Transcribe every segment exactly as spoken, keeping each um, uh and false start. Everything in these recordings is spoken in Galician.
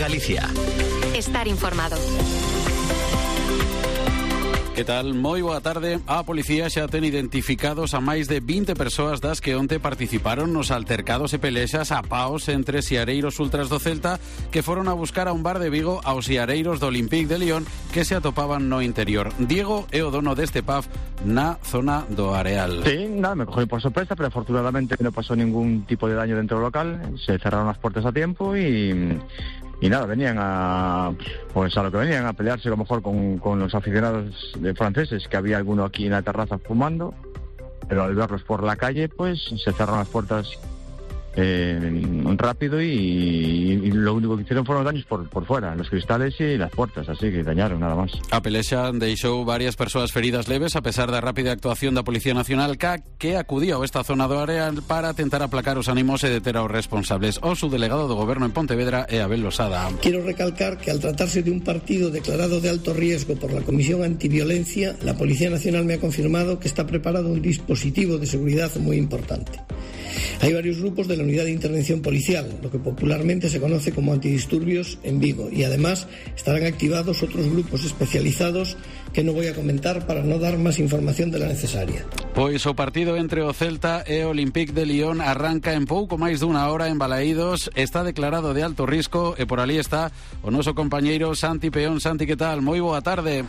Galicia. Estar informado. Que tal? Moi boa tarde. A policía xa ten identificados a máis de vinte persoas das que onte participaron nos altercados e pelexas a paos entre siareiros ultras do Celta que foron a buscar a un bar de Vigo aos siareiros do Olympique de Lyon que se atopaban no interior. Diego é o dono deste pub na zona do Areal. Sí, nada, me cogí por sorpresa, pero afortunadamente no pasó ningún tipo de daño dentro del local. Se cerraron las puertas a tiempo y... Y nada, venían a pues a lo que venían a pelearse a lo mejor con, con los aficionados de franceses, que había alguno aquí en la terraza fumando, pero al verlos por la calle, pues se cerraron las puertas eh, rápido y, y lo único que hicieron fueron daños por, por fuera, los cristales y las puertas, así que dañaron nada más. A pelexa deixou varias persoas feridas leves a pesar da rápida actuación da Policía Nacional C A C que acudía a esta zona do Areal para tentar aplacar os ánimos e deter aos responsables. O subdelegado do Goberno en Pontevedra é Abel Losada. Quiero recalcar que al tratarse de un partido declarado de alto riesgo por la Comisión Antiviolencia, la Policía Nacional me ha confirmado que está preparado un dispositivo de seguridad muy importante. Hay varios grupos de la Unidad de Intervención Policial, lo que popularmente se conoce como antidisturbios en Vigo, y además estarán activados otros grupos especializados que no voy a comentar para no dar más información de la necesaria. Pois o partido entre o Celta e o Olympique de Lyon arranca en pouco máis dunha hora en Balaídos, está declarado de alto risco e por ali está o noso compañeiro Santi Peón. Santi, que tal? Moi boa tarde.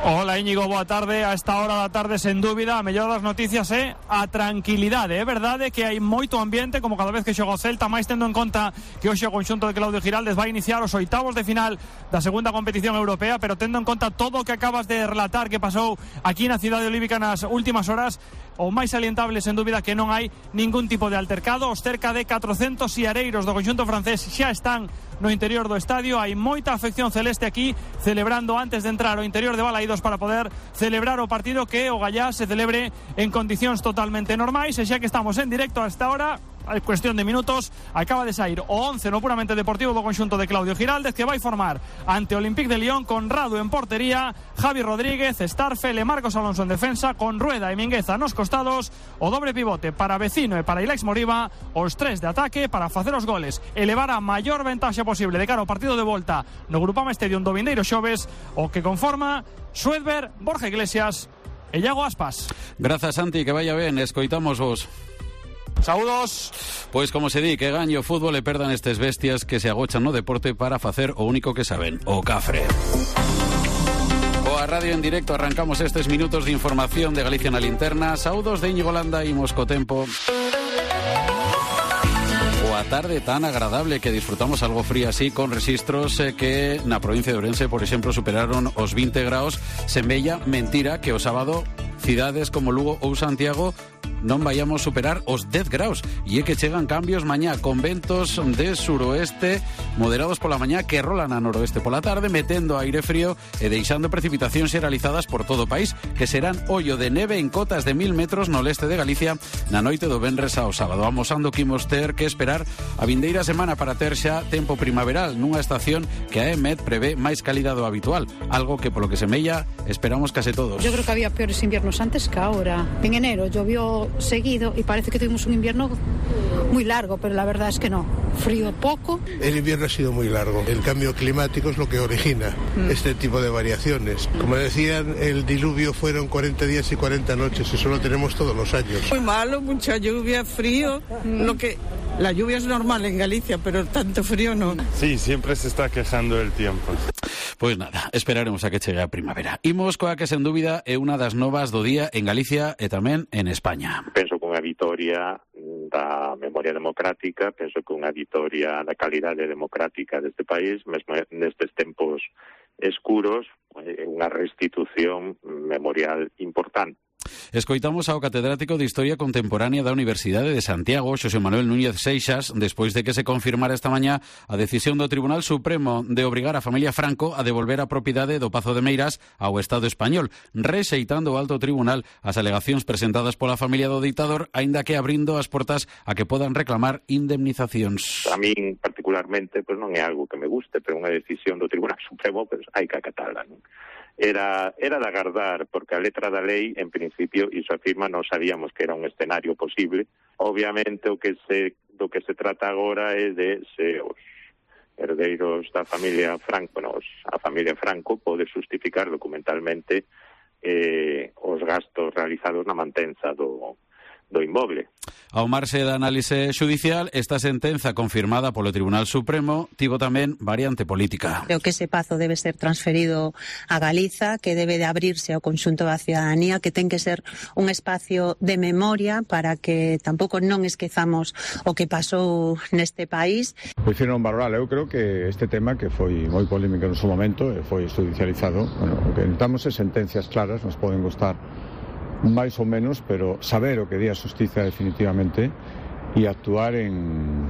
Hola Íñigo, boa tarde. A esta hora da tarde, sen dúbida, a mellor das noticias é a tranquilidade. É verdade que hai moito ambiente, como cada vez que xoga o Celta, máis tendo en conta que hoxe o conxunto de Claudio Giraldes vai iniciar os oitavos de final da segunda competición europea, pero tendo en conta todo o que acabas de relatar que pasou aquí na cidade olímpica nas últimas horas, o máis salientable, sen dúbida, que non hai ningún tipo de altercado. Os cerca de catrocentos siareiros do conxunto francés xa están no interior do estadio. Hai moita afección celeste aquí celebrando antes de entrar ao interior de Balaídos para poder celebrar o partido que o Gallá se celebre en condicións totalmente normais. E xa que estamos en directo a esta hora, a cuestión de minutos, acaba de sair o once no puramente deportivo do conxunto de Claudio Giraldes, que vai formar ante o Olympique de Lyon con Radu en portería, Javi Rodríguez, Starfel e Marcos Alonso en defensa, con Rueda e Mingueza nos costados, o dobre pivote para Vecino e para Ilex Moriba, os tres de ataque para facer os goles, elevar a maior ventaxa posible de cara ao partido de volta no Grupama Stadium do vindeiro xoves, o que conforma Suedberg, Borja Iglesias e Iago Aspas. Grazas, Santi, que vaya ben, escoitamos vos. Saúdos. Pois como se di, que gaño o fútbol e perdan estes bestias que se agochan no deporte para facer o único que saben, o cafre. Coa radio en directo arrancamos estes minutos de información de Galicia na linterna. Saúdos de Íñigo Landa, imos co tempo. Boa tarde tan agradable que disfrutamos algo frío así, con registros eh, que na provincia de Ourense, por exemplo, superaron os vinte graus. Semella mentira que o sábado cidades como Lugo ou Santiago non vayamos superar os dez graus, e é que chegan cambios mañá con ventos de suroeste moderados pola mañá que rolan a noroeste pola tarde, metendo aire frío e deixando precipitacións xeralizadas por todo o país, que serán ollo de neve en cotas de mil metros no leste de Galicia na noite do venres ao sábado, amosando que imos ter que esperar a vindeira semana para ter xa tempo primaveral nunha estación que a EMET prevé máis cálida do habitual, algo que polo que semella esperamos case todos. Yo creo que había peores inviernos antes que ahora. En enero llovió seguido y parece que tuvimos un invierno muy largo, pero la verdad es que no. Frío poco. El invierno ha sido muy largo. El cambio climático es lo que origina mm. este tipo de variaciones. Como decían, el diluvio fueron cuarenta días y cuarenta noches. Eso lo tenemos todos los años. Muy malo, mucha lluvia, frío. Mm. Lo que la lluvia es normal en Galicia, pero tanto frío no. Sí, siempre se está quejando el tiempo. Pois nada, esperaremos a que chegue a primavera. Imos coa que sen dúbida é unha das novas do día en Galicia e tamén en España. Penso que unha vitoria da memoria democrática, penso que unha vitoria da calidade democrática deste país, mesmo nestes tempos escuros, unha restitución memorial importante. Escoitamos ao catedrático de Historia Contemporánea da Universidade de Santiago, Xosé Manuel Núñez Seixas, despois de que se confirmara esta mañá a decisión do Tribunal Supremo de obrigar a familia Franco a devolver a propiedade do Pazo de Meirás ao Estado español, rexeitando o alto tribunal as alegacións presentadas pola familia do ditador, aínda que abrindo as portas a que podan reclamar indemnizacións. A min, particularmente, pues non é algo que me guste, pero unha decisión do Tribunal Supremo, pues hai que acatala, non? Era, era de agardar, porque a letra da lei, en principio, iso afirma, non sabíamos que era un escenario posible. Obviamente, o que se, do que se trata agora é de se os herdeiros da familia Franco, nos, a familia Franco pode justificar documentalmente eh, os gastos realizados na mantenza do, do inmoble. Ao marxe da análise xudicial, esta sentenza confirmada polo Tribunal Supremo tivo tamén variante política. Creo que ese pazo debe ser transferido a Galiza, que debe de abrirse ao conxunto da ciudadanía, que ten que ser un espacio de memoria para que tampouco non esquezamos o que pasou neste país. Hicieron valorar, eu creo que este tema que foi moi polémico en su momento e foi judicializado, bueno, o que necesitamos é sentencias claras, nos poden gustar máis ou menos, pero saber o que di a xustiza definitivamente e actuar en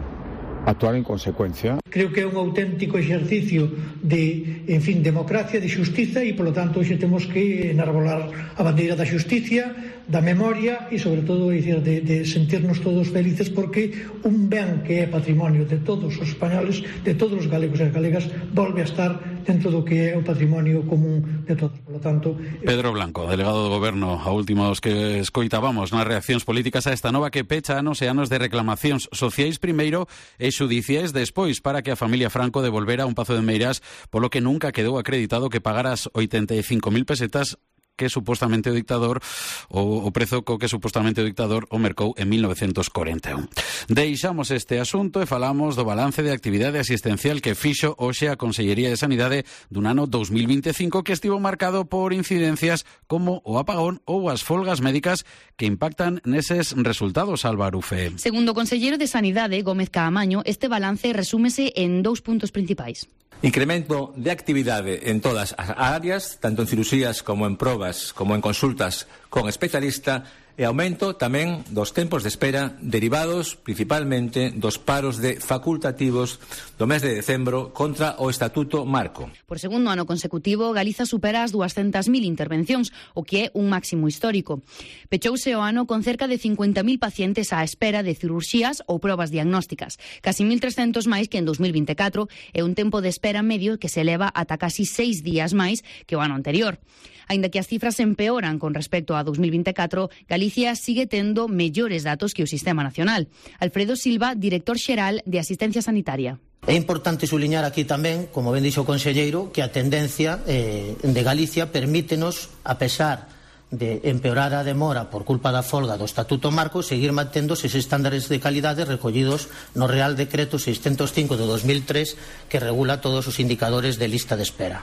actuar en consecuencia. Creo que é un auténtico exercicio de, en fin, democracia, de xustiza e, polo tanto, hoxe temos que enarbolar a bandeira da xusticia, da memoria e, sobre todo, decir, de, de sentirnos todos felices porque un ben que é patrimonio de todos os españoles, de todos os galegos e galegas, volve a estar dentro do que é o patrimonio común de todos. Por lo tanto... Pedro Blanco, delegado do Goberno, a últimos que escoitábamos nas reaccións políticas a esta nova que pecha anos e anos de reclamacións sociais primeiro e xudiciais despois para que a familia Franco devolvera un pazo de Meirás polo que nunca quedou acreditado que pagara as oitenta e cinco mil pesetas que supostamente o dictador o, o prezo co que supostamente o dictador o mercou en mil novecientos corenta e un. Deixamos este asunto e falamos do balance de actividade asistencial que fixo hoxe a Consellería de Sanidade dun ano dos mil vinte e cinco que estivo marcado por incidencias como o apagón ou as folgas médicas que impactan neses resultados, Álvaro Ufe. Segundo o conselleiro de Sanidade, Gómez Caamaño, este balance resúmese en dous puntos principais. Incremento de actividade en todas as áreas, tanto en cirurxías como en probas, como en consultas con especialista, e aumento tamén dos tempos de espera derivados principalmente dos paros de facultativos do mes de decembro contra o Estatuto Marco. Por segundo ano consecutivo, Galiza supera as duascentas mil intervencións, o que é un máximo histórico. Pechouse o ano con cerca de cincuenta mil pacientes á espera de cirurxías ou probas diagnósticas, casi mil trescentos máis que en dos mil vinte e catro, e un tempo de espera medio que se eleva ata casi seis días máis que o ano anterior. Aínda que as cifras empeoran con respecto a dos mil vinte e catro, Galicia sigue tendo mellores datos que o Sistema Nacional. Alfredo Silva, director xeral de Asistencia Sanitaria. É importante suliñar aquí tamén, como ben dixo o conselleiro, que a tendencia eh, de Galicia permítenos, a pesar de empeorar a demora por culpa da folga do Estatuto Marco, seguir mantendo eses estándares de calidade recollidos no Real Decreto seiscentos cinco de dos mil tres que regula todos os indicadores de lista de espera.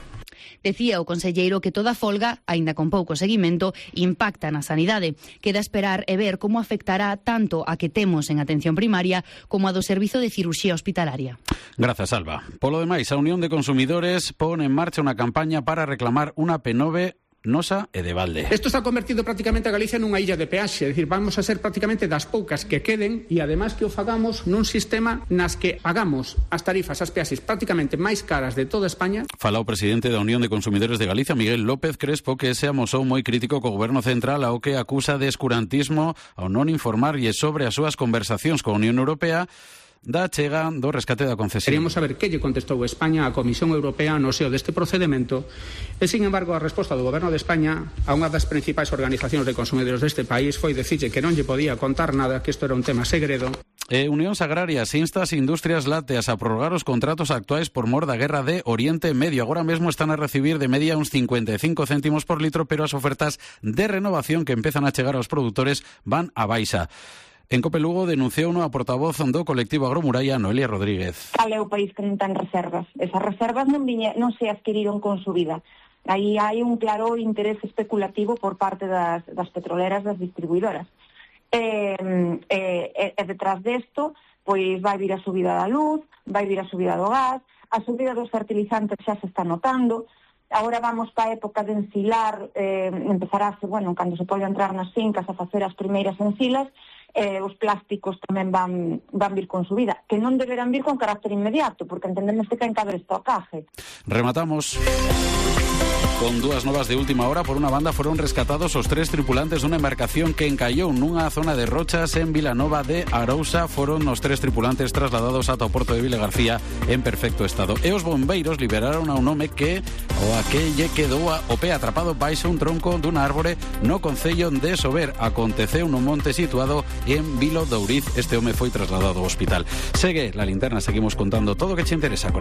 Decía o conselleiro que toda folga, aínda con pouco seguimento, impacta na sanidade. Queda esperar e ver como afectará tanto a que temos en atención primaria como a do servizo de cirurxía hospitalaria. Grazas, Alba. Polo demais, a Unión de Consumidores pon en marcha unha campaña para reclamar unha P nove Nosa e de Valde. Isto está convertido prácticamente a Galicia nunha illa de peaxe, é dicir, vamos a ser prácticamente das poucas que queden e ademais que o fagamos nun sistema nas que pagamos as tarifas, as peaxes prácticamente máis caras de toda España. Fala o presidente da Unión de Consumidores de Galicia, Miguel López Crespo, que se amosou moi crítico co Goberno Central ao que acusa de escurantismo ao non informarlle sobre as súas conversacións coa Unión Europea da chega do rescate da concesión. Queríamos saber que lle contestou España á Comisión Europea no seo deste procedimento e, sin embargo, a resposta do Goberno de España a unha das principais organizacións de consumidores deste país foi dicirlle que non lle podía contar nada, que isto era un tema segredo. E Unións Agrarias insta as industrias lácteas a prorrogar os contratos actuais por mor da guerra de Oriente Medio. Agora mesmo están a recibir de media uns cincuenta e cinco céntimos por litro, pero as ofertas de renovación que empezan a chegar aos produtores van a baixa. En Cope Lugo denunciou a portavoz do colectivo Agromuralla, Noelia Rodríguez. Cal é o país que non ten reservas? Esas reservas non, viñe, non se adquiriron con subida. Aí hai un claro interés especulativo por parte das, das petroleras, das distribuidoras. E, e, e detrás desto, pois vai vir a subida da luz, vai vir a subida do gas, a subida dos fertilizantes xa se está notando. Agora vamos para a época de ensilar, eh, empezará, bueno, cando se pode entrar nas fincas a facer as primeiras ensilas, eh, os plásticos tamén van, van vir con subida, que non deberán vir con carácter inmediato, porque entendemos que ten que haber estocaje. Rematamos con dúas novas de última hora. Por unha banda, foron rescatados os tres tripulantes dunha embarcación que encallou nunha zona de rochas en Vilanova de Arousa. Foron os tres tripulantes trasladados ata o porto de Vilagarcía en perfecto estado. E os bombeiros liberaron a un home que o a que lle quedou o pé atrapado baixo un tronco dunha árbore no concello de Sober. Aconteceu nun monte situado en Vilo de Ouriz. Este home foi trasladado ao hospital. Segue La Linterna, seguimos contando todo o que che interesa con